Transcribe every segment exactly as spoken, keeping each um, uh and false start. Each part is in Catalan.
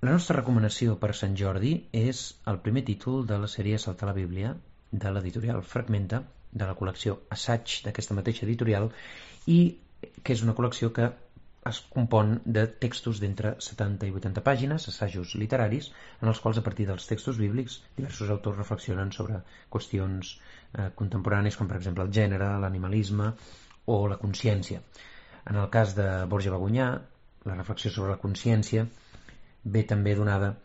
La nostra recomanació per Sant Jordi és el primer títol de la sèrie Saltar la Bíblia, de l'editorial Fragmenta, de la col·lecció Assaig d'aquesta mateixa editorial, i que és una col·lecció que es compon de textos d'entre setanta i vuitanta pàgines, assajos literaris, en els quals, a partir dels textos bíblics, diversos autors reflexionen sobre qüestions eh, contemporànies, com per exemple el gènere, l'animalisme o la consciència. En el cas de Borja Bagunyà, la reflexió sobre la consciència ve també donada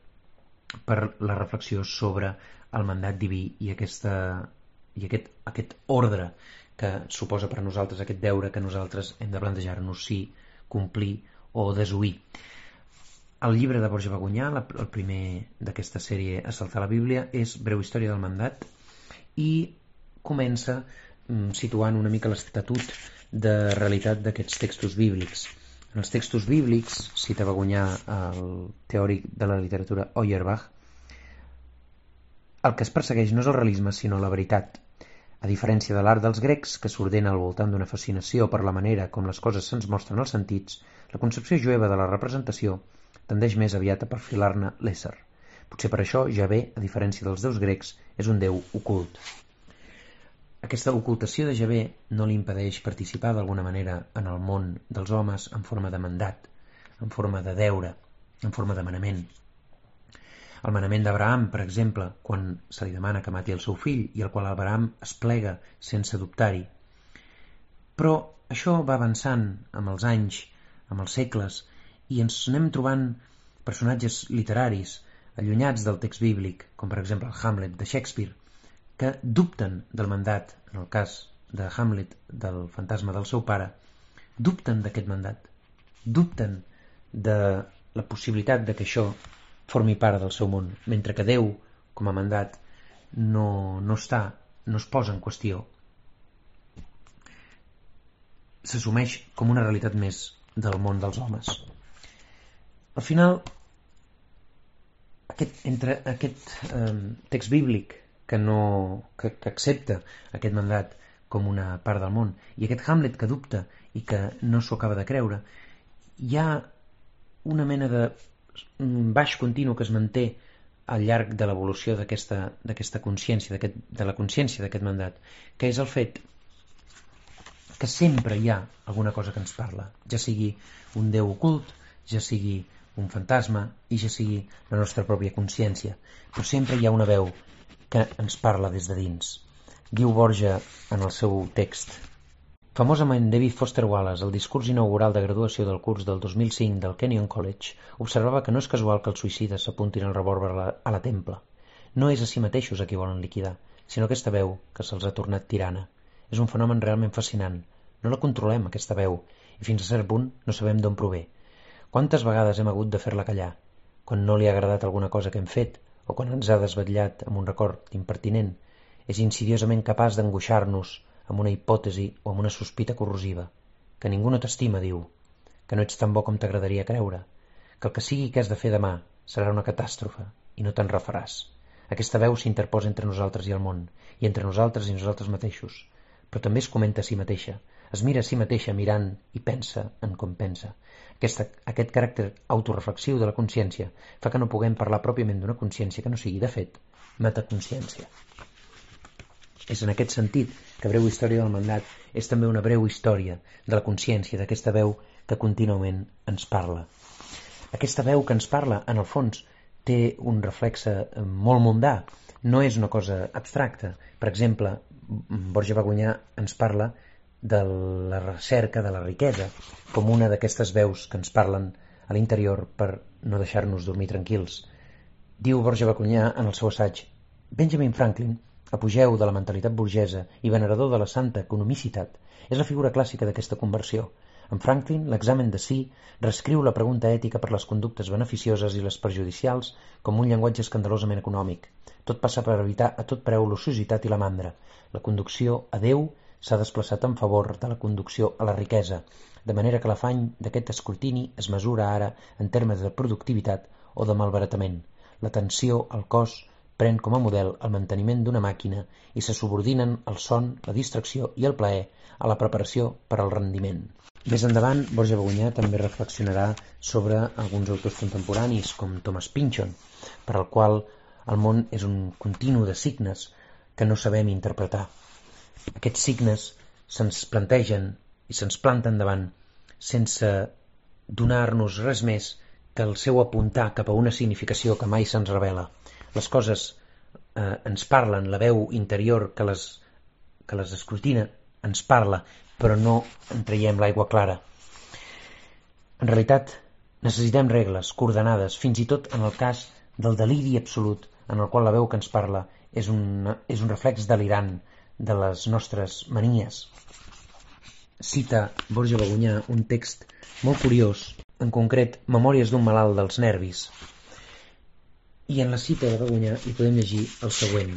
per la reflexió sobre el mandat diví i, aquesta, i aquest, aquest ordre que suposa per a nosaltres, aquest deure que nosaltres hem de plantejar-nos si complir o desoir. El llibre de Borja Bagunyà, el primer d'aquesta sèrie A Saltar la Bíblia, és Breu història del mandat i comença situant una mica l'estatut de realitat d'aquests textos bíblics. En els textos bíblics, cita Bagunyà el teòric de la literatura Auerbach, el que es persegueix no és el realisme sinó la veritat. A diferència de l'art dels grecs, que s'ordena al voltant d'una fascinació per la manera com les coses se'ns mostren als sentits, la concepció jueva de la representació tendeix més aviat a perfilar-ne l'ésser. Potser per això Javé, a diferència dels déus grecs, és un déu ocult. Aquesta ocultació de Javé no li impedeix participar d'alguna manera en el món dels homes en forma de mandat, en forma de deure, en forma de manament. El manament d'Abraham, per exemple, quan se li demana que mati el seu fill i el qual Abraham es plega sense dubtar-hi. Però això va avançant amb els anys, amb els segles, i ens anem trobant personatges literaris allunyats del text bíblic, com per exemple el Hamlet de Shakespeare, que dubten del mandat, en el cas de Hamlet, del fantasma del seu pare, dubten d'aquest mandat, dubten de la possibilitat de que això formi part del seu món, mentre que Déu, com a mandat, no, no està, no es posa en qüestió. S'assumeix com una realitat més del món dels homes. Al final, aquest, entre aquest eh, text bíblic que, no, que, que accepta aquest mandat com una part del món i aquest Hamlet que dubta i que no s'ho acaba de creure, hi ha una mena de baix continu que es manté al llarg de l'evolució d'aquesta, d'aquesta consciència, d'aquest, de la consciència d'aquest mandat, que és el fet que sempre hi ha alguna cosa que ens parla, ja sigui un déu ocult, ja sigui un fantasma i ja sigui la nostra pròpia consciència, però sempre hi ha una veu que ens parla des de dins. Diu Borja en el seu text: famosament David Foster Wallace, al discurs inaugural de graduació del curs del dos mil cinc del Kenyon College, observava que no és casual que els suïcides s'apuntin el revòlver a la, a la templa. No és a si mateixos a qui volen liquidar, sinó aquesta veu que se'ls ha tornat tirana. És un fenomen realment fascinant. No la controlem, aquesta veu, i fins a cert punt no sabem d'on prové. Quantes vegades hem hagut de fer-la callar? Quan no li ha agradat alguna cosa que hem fet, o quan ens ha desvetllat amb un record impertinent, és insidiosament capaç d'angoixar-nos amb una hipòtesi o amb una sospita corrosiva, que ningú no t'estima, diu, que no ets tan bo com t'agradaria creure, que el que sigui que has de fer demà serà una catàstrofe i no te'n refaràs. Aquesta veu s'interposa entre nosaltres i el món, i entre nosaltres i nosaltres mateixos, però també es comenta a si mateixa, es mira a si mateixa mirant i pensa en com pensa. Aquesta, aquest caràcter autoreflexiu de la consciència fa que no puguem parlar pròpiament d'una consciència que no sigui, de fet, metaconsciència. És en aquest sentit que Breu història del mandat és també una breu història de la consciència, d'aquesta veu que contínuament ens parla. Aquesta veu que ens parla, en el fons, té un reflexe molt mundà, no és una cosa abstracta. Per exemple, Borja Bagunyà ens parla de la recerca de la riquesa com una d'aquestes veus que ens parlen a l'interior per no deixar-nos dormir tranquils. Diu Borja Bagunyà en el seu assaig: Benjamin Franklin, apogeu de la mentalitat burgesa i venerador de la santa economicitat, és la figura clàssica d'aquesta conversió. En Franklin, l'examen de si reescriu la pregunta ètica per les conductes beneficioses i les perjudicials com un llenguatge escandalosament econòmic. Tot passa per evitar a tot preu l'ociositat i la mandra. La conducció a Déu s'ha desplaçat en favor de la conducció a la riquesa, de manera que l'afany d'aquest escrutini es mesura ara en termes de productivitat o de malbaratament. L'atenció al cos pren com a model el manteniment d'una màquina i se subordinen el son, la distracció i el plaer a la preparació per al rendiment. Més endavant, Borja Bagunyà també reflexionarà sobre alguns autors contemporanis, com Thomas Pynchon, per al qual el món és un continu de signes que no sabem interpretar. Aquests signes se'ns plantegen i se'ns planten davant sense donar-nos res més que el seu apuntar cap a una significació que mai se'ns revela. Les coses eh, ens parlen, la veu interior que les, que les escrutina ens parla, però no en traiem l'aigua clara. En realitat, necessitem regles, coordenades, fins i tot en el cas del deliri absolut, en el qual la veu que ens parla és un, és un reflex delirant de les nostres manies. Cita Borja Bagunyà un text molt curiós, en concret, Memòries d'un malalt dels nervis. I en la cita de Bagunyà hi podem llegir el següent.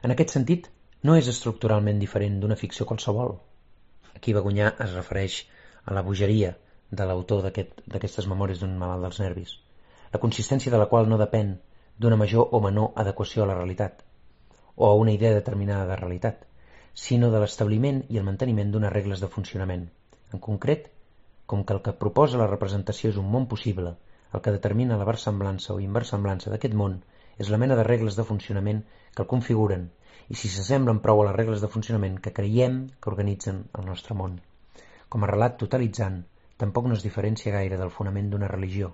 En aquest sentit, no és estructuralment diferent d'una ficció qualsevol. Aquí Bagunyà es refereix a la bogeria de l'autor d'aquestes memòries d'un malalt dels nervis, la consistència de la qual no depèn d'una major o menor adequació a la realitat, o a una idea determinada de realitat, sinó de l'establiment i el manteniment d'unes regles de funcionament. En concret, com que el que proposa la representació és un món possible, el que determina la versemblança o inversemblança d'aquest món és la mena de regles de funcionament que el configuren, i si s'assemblen prou a les regles de funcionament que creiem que organitzen el nostre món. Com a relat totalitzant, tampoc no es diferencia gaire del fonament d'una religió.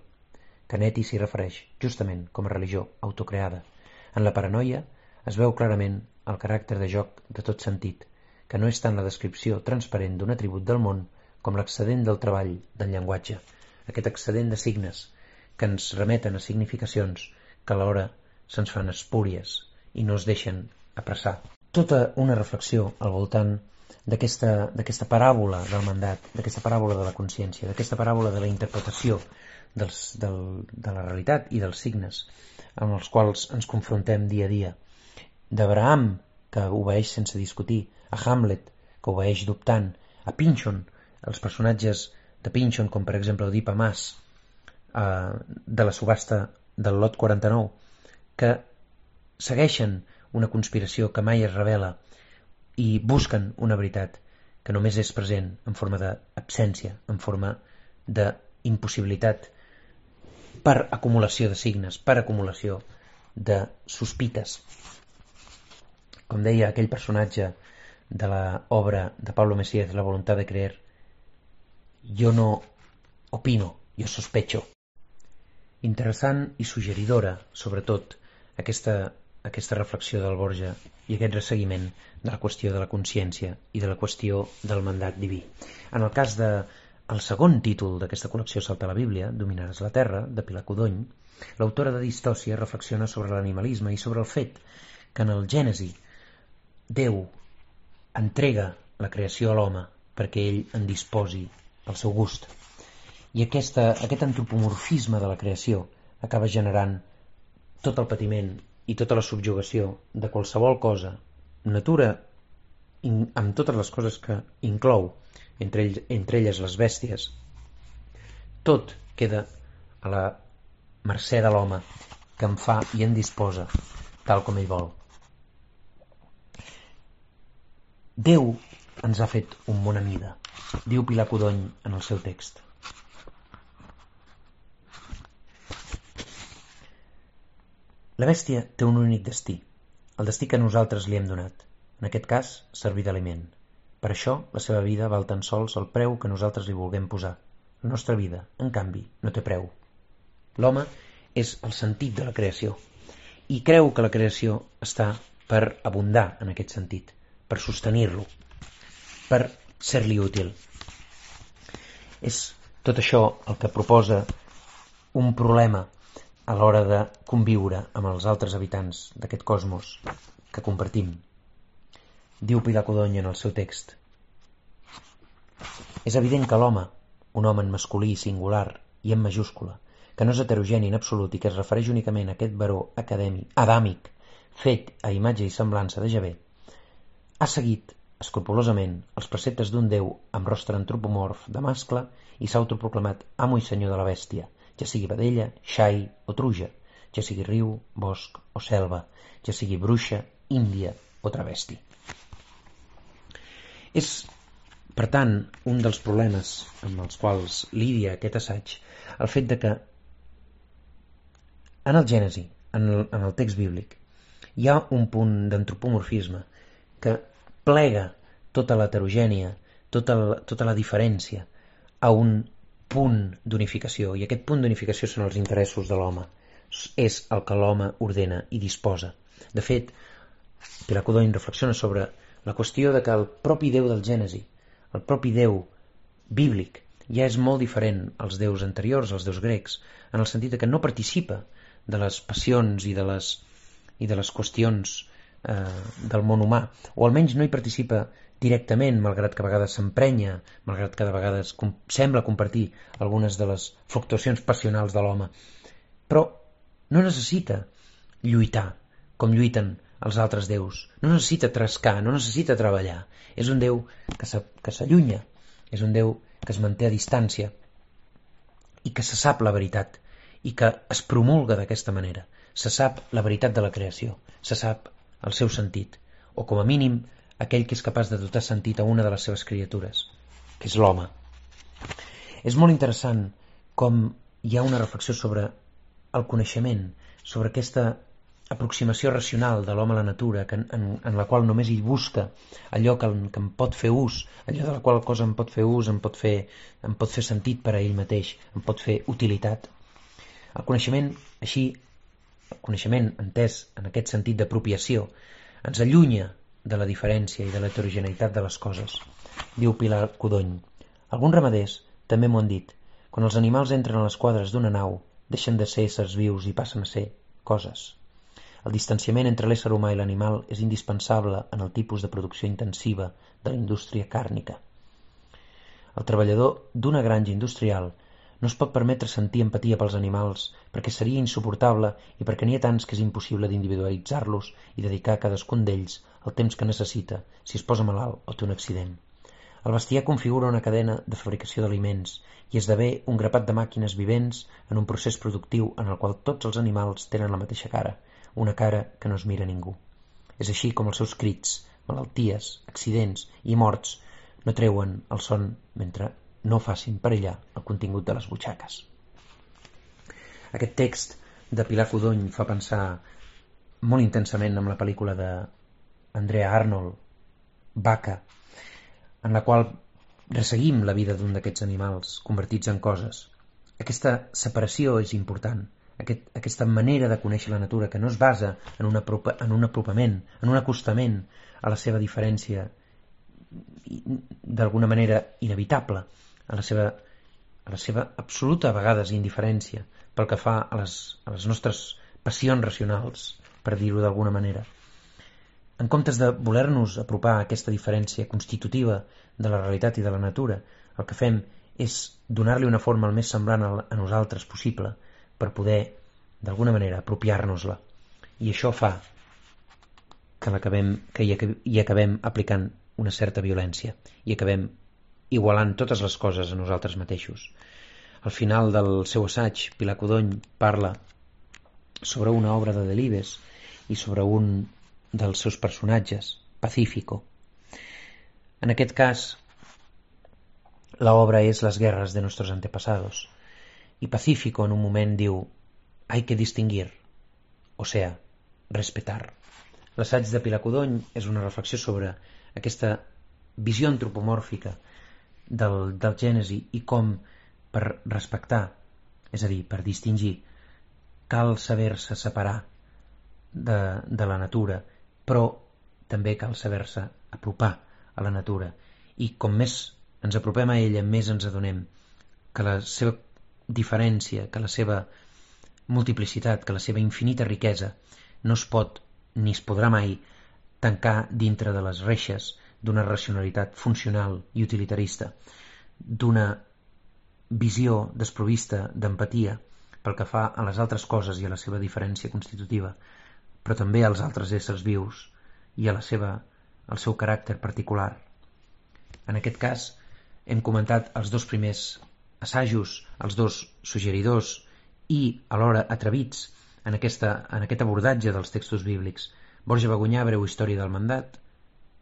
Canetti s'hi refereix, justament, com a religió autocreada. En la paranoia es veu clarament el caràcter de joc de tot sentit, que no és tant la descripció transparent d'un atribut del món com l'excedent del treball del llenguatge, aquest excedent de signes que ens remeten a significacions que alhora se'ns fan espúries i no es deixen apressar. Tota una reflexió al voltant d'aquesta d'aquesta paràbola del mandat, d'aquesta paràbola de la consciència, d'aquesta paràbola de la interpretació dels, del, de la realitat i dels signes amb els quals ens confrontem dia a dia. D'Abraham, que obeeix sense discutir, a Hamlet, que obeeix dubtant, a Pynchon, els personatges de Pynchon, com per exemple Oedipa Mas, eh, de la subhasta del lot quaranta-nou, que segueixen una conspiració que mai es revela i busquen una veritat que només és present en forma d'absència, en forma d'impossibilitat per acumulació de signes, per acumulació de sospites. Com deia aquell personatge de l'obra de Pablo Messiez, La voluntad de creer, jo no opino, jo sospecho. Interessant i suggeridora, sobretot, aquesta, aquesta reflexió del Borja i aquest resseguiment de la qüestió de la consciència i de la qüestió del mandat diví. En el cas de el segon títol d'aquesta col·lecció Salta la Bíblia, Dominaràs la Terra, de Pilar Codony, l'autora de Distòcia reflexiona sobre l'animalisme i sobre el fet que en el Gènesi Déu entrega la creació a l'home perquè ell en disposi al seu gust. I aquesta, aquest antropomorfisme de la creació acaba generant tot el patiment i tota la subjugació de qualsevol cosa, natura in, amb totes les coses que inclou, entre, ell, entre elles les bèsties, tot queda a la mercè de l'home que en fa i en disposa tal com ell vol. Déu ens ha fet un món a mida, diu Pilar Codony en el seu text. La bèstia té un únic destí, el destí que nosaltres li hem donat, en aquest cas, servir d'aliment. Per això, la seva vida val tan sols el preu que nosaltres li vulguem posar. La nostra vida, en canvi, no té preu. L'home és el sentit de la creació i creu que la creació està per abundar en aquest sentit, per sostenir-lo, per ser-li útil. És tot això el que proposa un problema a l'hora de conviure amb els altres habitants d'aquest cosmos que compartim. Diu Pilar Codony en el seu text: és evident que l'home, un home en masculí, singular i en majúscula, que no és heterogeni en absolut i que es refereix únicament a aquest baró acadèmic, adàmic, fet a imatge i semblança de Javé, ha seguit escrupolosament els preceptes d'un déu amb rostre antropomorf de mascle i s'ha autoproclamat amo i senyor de la bèstia, ja sigui vedella, xai o truja, ja sigui riu, bosc o selva, ja sigui bruixa, índia o travesti. És Per tant, un dels problemes amb els quals lidia aquest assaig, el fet de que en el Gènesi, en el, en el text bíblic, hi ha un punt d'antropomorfisme que plega tota l'heterogènia, tota la, tota la diferència a un punt d'unificació, i aquest punt d'unificació són els interessos de l'home. És el que l'home ordena i disposa. De fet, Pilar Codony reflexiona sobre la qüestió de que el propi Déu del Gènesi, el propi Déu bíblic, ja és molt diferent als déus anteriors, als déus grecs, en el sentit que no participa de les passions i de les, i de les qüestions eh, del món humà, o almenys no hi participa directament, malgrat que a vegades s'emprenya, malgrat que de vegades com, sembla compartir algunes de les fluctuacions passionals de l'home, però no necessita lluitar com lluiten els altres déus, no necessita trascar, no necessita treballar. És un Déu que s'allunya, és un Déu que es manté a distància i que se sap la veritat i que es promulga d'aquesta manera. Se sap la veritat de la creació, se sap el seu sentit, o com a mínim aquell que és capaç de dotar sentit a una de les seves criatures, que és l'home. És molt interessant com hi ha una reflexió sobre el coneixement, sobre aquesta aproximació racional de l'home a la natura, que en, en, en la qual només hi busca allò que, que en pot fer ús, allò de la qual cosa en pot fer ús, en pot fer, en pot fer sentit per a ell mateix, en pot fer utilitat. El coneixement, així, el coneixement entès en aquest sentit d'apropiació, ens allunya de la diferència i de l'heterogeneïtat de les coses. Diu Pilar Codony: alguns ramaders també m'ho han dit. Quan els animals entren a les quadres d'una nau, deixen de ser éssers vius i passen a ser coses. El distanciament entre l'ésser humà i l'animal és indispensable en el tipus de producció intensiva de la indústria càrnica. El treballador d'una granja industrial no es pot permetre sentir empatia pels animals perquè seria insuportable i perquè n'hi ha tants que és impossible d'individualitzar-los i dedicar a cadascun d'ells el temps que necessita si es posa malalt o té un accident. El bestiar configura una cadena de fabricació d'aliments i esdevé un grapat de màquines vivents en un procés productiu en el qual tots els animals tenen la mateixa cara, una cara que no es mira a ningú. És així com els seus crits, malalties, accidents i morts no treuen el son mentre no facin perillar el contingut de les butxaques. Aquest text de Pilar Codony fa pensar molt intensament amb la pel·lícula d'Andrea Arnold, Vaca, en la qual resseguim la vida d'un d'aquests animals convertits en coses. Aquesta separació és important, aquest, aquesta manera de conèixer la natura que no es basa en un, apropa, en un apropament, en un acostament a la seva diferència d'alguna manera inevitable, a la seva, a la seva absoluta a vegades indiferència pel que fa a les, a les nostres passions racionals, per dir-ho d'alguna manera. En comptes de voler-nos apropar a aquesta diferència constitutiva de la realitat i de la natura, el que fem és donar-li una forma el més semblant a nosaltres possible per poder, d'alguna manera, apropiar-nos-la. I això fa que, l'acabem, que hi, hi acabem aplicant una certa violència i acabem igualant totes les coses a nosaltres mateixos. Al final del seu assaig, Pilar Codony parla sobre una obra de Delibes i sobre un dels seus personatges, Pacífico. En aquest cas, la obra és Las guerras de nuestros antepasados, i Pacífico en un moment diu: hay que distinguir, o sea, respetar. L'assaig de Pilar Codony és una reflexió sobre aquesta visió antropomòrfica del, del Gènesi i com per respectar, és a dir, per distingir, cal saber-se separar de, de la natura, però també cal saber-se apropar a la natura. I com més ens apropem a ella, més ens adonem que la seva diferència, que la seva multiplicitat, que la seva infinita riquesa no es pot ni es podrà mai tancar dintre de les reixes d'una racionalitat funcional i utilitarista, d'una visió desprovista d'empatia pel que fa a les altres coses i a la seva diferència constitutiva, però també als altres éssers vius i a la seva, al seu caràcter particular. En aquest cas, hem comentat els dos primers assajos, els dos suggeridors i alhora atrevits en, aquesta, en aquest abordatge dels textos bíblics. Borja Bagunyà, Breu història del mandat,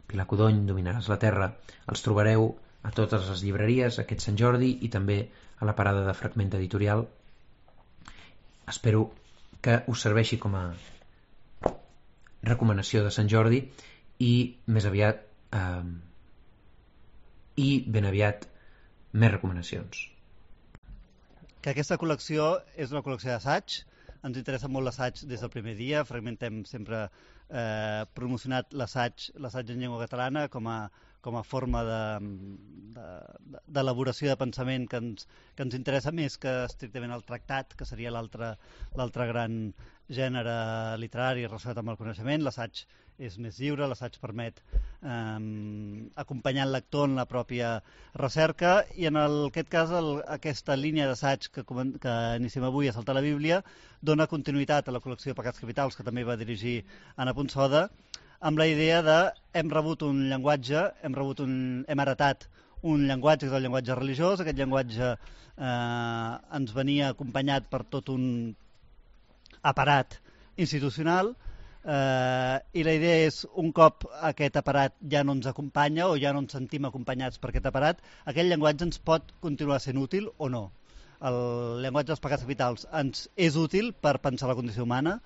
Pilar Codony, Dominaràs la terra. Els trobareu a totes les llibreries aquest Sant Jordi i també a la parada de Fragment Editorial. Espero que us serveixi com a recomanació de Sant Jordi i més aviat eh, i ben aviat més recomanacions. Que aquesta col·lecció és una col·lecció d'assaig. Ens interessa molt l'assaig des del primer dia. Fragmentem sempre eh, promocionat l'assaig l'assaig en llengua catalana com a, com a forma d'elaboració de, de, de pensament que ens, que ens interessa més que estrictament el tractat, que seria l'altre l'altre gran gènere literari relacionat amb el coneixement. L'assaig és més lliure, l'assaig permet eh, acompanyar el lector en la pròpia recerca i en el, aquest cas el, aquesta línia d'assaig que, que iniciem avui a Saltar la Bíblia dona continuïtat a la col·lecció de Pecats Capitals que també va dirigir Anna Ponsoda, amb la idea de hem rebut un llenguatge, hem, rebut un, hem heretat un llenguatge que és el llenguatge religiós. Aquest llenguatge eh, ens venia acompanyat per tot un aparat institucional eh, i la idea és, un cop aquest aparat ja no ens acompanya o ja no ens sentim acompanyats per aquest aparat, aquest llenguatge ens pot continuar sent útil o no. El llenguatge dels pecats capitals ens és útil per pensar la condició humana,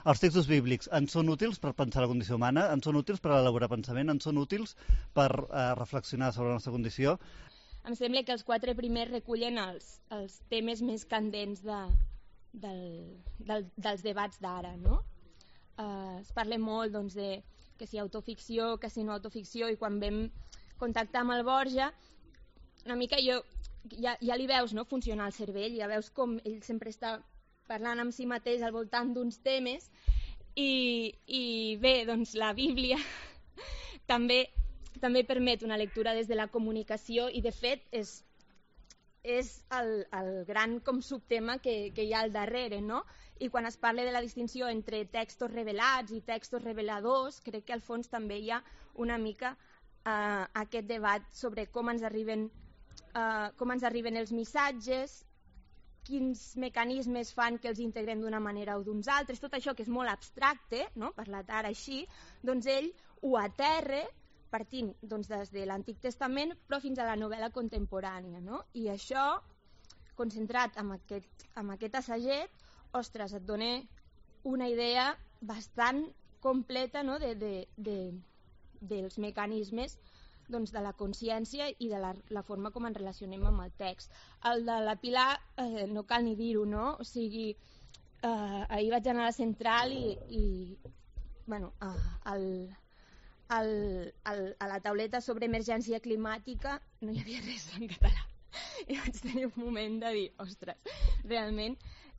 els textos bíblics ens són útils per pensar la condició humana, ens són útils per elaborar pensament, ens són útils per eh, reflexionar sobre la nostra condició. Em sembla que els quatre primers recullen els, els temes més candents de, del, del, dels debats d'ara, no? Uh, es parla molt doncs, de que si autoficció, que si no autoficció, i quan vam contactar amb el Borja, una mica jo, ja, ja li veus no, funcionar el cervell, ja veus com ell sempre està parlant amb si mateix al voltant d'uns temes, i, i bé, doncs la Bíblia també, també permet una lectura des de la comunicació i de fet és, és el, el gran com subtema que, que hi ha al darrere, no? I quan es parla de la distinció entre textos revelats i textos reveladors, crec que al fons també hi ha una mica eh, aquest debat sobre com ens arriben, eh, com ens arriben els missatges, quins mecanismes fan que els integrem d'una manera o d'uns altres, tot això que és molt abstracte, no? Parlat ara així, doncs ell ho aterra partint doncs, des de l'Antic Testament però fins a la novel·la contemporània, no? I això, concentrat en aquest, en aquest assaget, ostres, et dona una idea bastant completa, no? de, de, de, dels mecanismes doncs, de la consciència i de la, la forma com ens relacionem amb el text. El de la Pilar, eh, no cal ni dir-ho, no? O sigui, eh, ahir vaig anar a la central i, i bueno, eh, el, el, el, a la tauleta sobre emergència climàtica no hi havia res en català. I vaig tenir un moment de dir, ostres, realment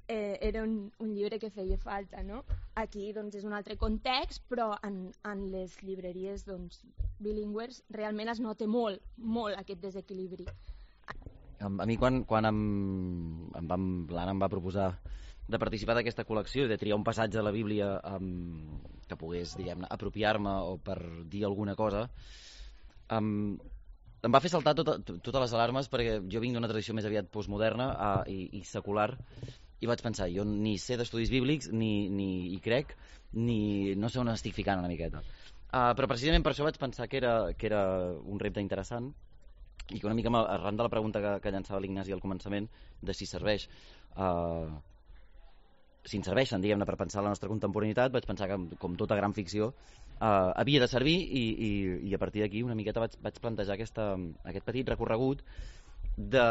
eh, era un, un llibre que feia falta, no? Aquí doncs, és un altre context, però en, en les llibreries doncs, bilingües realment es nota molt, molt aquest desequilibri. A, a mi quan, quan em, em vam, l'Anna em va proposar de participar d'aquesta col·lecció i de triar un passatge de la Bíblia um, que pogués, diguem-ne, apropiar-me o per dir alguna cosa, um, em va fer saltar tota, totes les alarmes perquè jo vinc d'una tradició més aviat postmoderna uh, i, i secular, i vaig pensar, jo ni sé d'estudis bíblics, ni, ni hi crec, ni no sé on estic ficant una miqueta. Uh, però precisament per això vaig pensar que era, que era un repte interessant i que una mica arran de la pregunta que, que llançava l'Ignasi al començament de si serveix uh, si ens serveixen, diguem-ne, per pensar la nostra contemporaneïtat, vaig pensar que, com tota gran ficció, uh, havia de servir i, i, i a partir d'aquí una miqueta vaig, vaig plantejar aquesta, aquest petit recorregut de,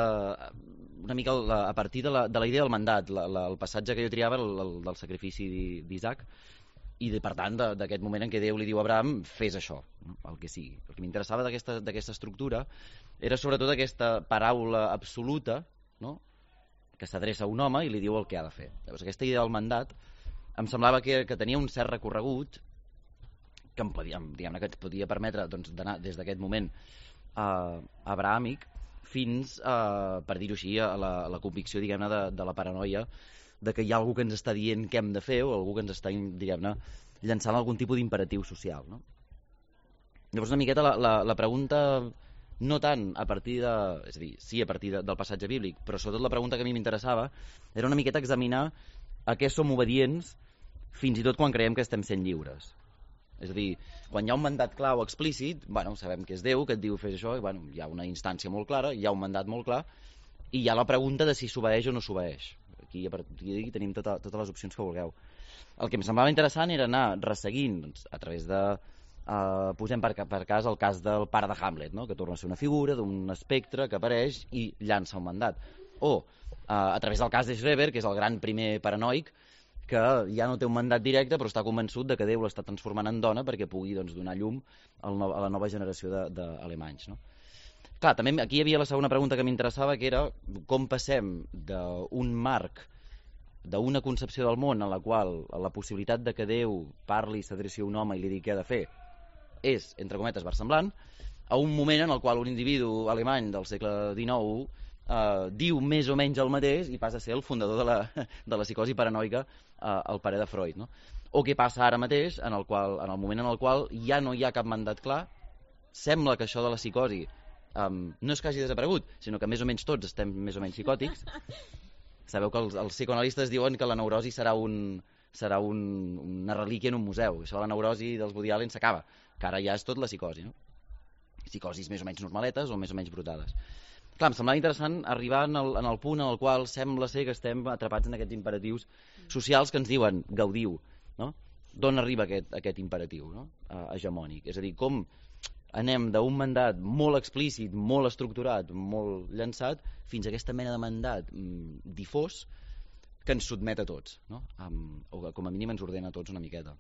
una mica la, a partir de la, de la idea del mandat, la, la, el passatge que jo triava el, el, del sacrifici d'Isaac, i de, per tant d'aquest moment en què Déu li diu a Abraham fes això, no? El que sigui. El que m'interessava d'aquesta estructura era sobretot aquesta paraula absoluta, no? Que s'adreça a un home i li diu el que ha de fer. Llavors aquesta idea del mandat em semblava que, que tenia un cert recorregut que em podia, diguem-ne, que et podia permetre doncs, d'anar des d'aquest moment eh, abrahàmic fins, eh, per dir-ho així, a la, a la convicció, diguem-ne, de, de la paranoia de que hi ha algú que ens està dient què hem de fer o algú que ens està, diguem-ne, llançant algun tipus d'imperatiu social, no? Llavors una miqueta la, la, la pregunta no tant a partir de, és a dir, sí a partir de, del passatge bíblic, però sobretot la pregunta que a mi m'interessava era una miqueta examinar a què som obedients fins i tot quan creiem que estem sent lliures. És a dir, quan hi ha un mandat clar o explícit, bueno, sabem que és Déu, que et diu fes això, i bueno, hi ha una instància molt clara, hi ha un mandat molt clar, i hi ha la pregunta de si s'obeeix o no s'obeeix. Aquí, a partir d'aquí tenim tota, totes les opcions que vulgueu. El que em semblava interessant era anar resseguint, doncs, a través de... Uh, posem per, per cas el cas del pare de Hamlet, no? Que torna a ser una figura d'un espectre que apareix i llança un mandat. O uh, a través del cas de Schreber, que és el gran primer paranoic, que ja no té un mandat directe però està convençut de que Déu l'està transformant en dona perquè pugui, doncs, donar llum al no, a la nova generació d'alemanys, no? Clar, també aquí hi havia la segona pregunta que m'interessava, que era com passem d'un marc, d'una concepció del món en la qual la possibilitat de que Déu parli, s'adreci a un home i li digui què ha de fer és, entre cometes, versemblant, a un moment en el qual un individu alemany del segle dinou eh, diu més o menys el mateix i passa a ser el fundador de la, de la psicosi paranoica, eh, el pare de Freud, no? O què passa ara mateix, en el, qual, en el moment en el qual ja no hi ha cap mandat clar, sembla que això de la psicosi um, no és que hagi desaparegut, sinó que més o menys tots estem més o menys psicòtics. Sabeu que els, els psicoanalistes diuen que la neurosi serà, un, serà un, una relíquia en un museu. Això de la neurosi dels Woody Allen s'acaba, que ara ja és tot la psicosi, no? Psicosis més o menys normaletes o més o menys brutades. Clar, em semblava interessant arribar en el, en el punt en el qual sembla ser que estem atrapats en aquests imperatius socials que ens diuen gaudiu, no? D'on arriba aquest, aquest imperatiu, no? uh, hegemònic? És a dir, com anem d'un mandat molt explícit, molt estructurat, molt llançat, fins a aquesta mena de mandat mm, difós que ens sotmet a tots, no? Um, o que com a mínim ens ordena a tots una miqueta.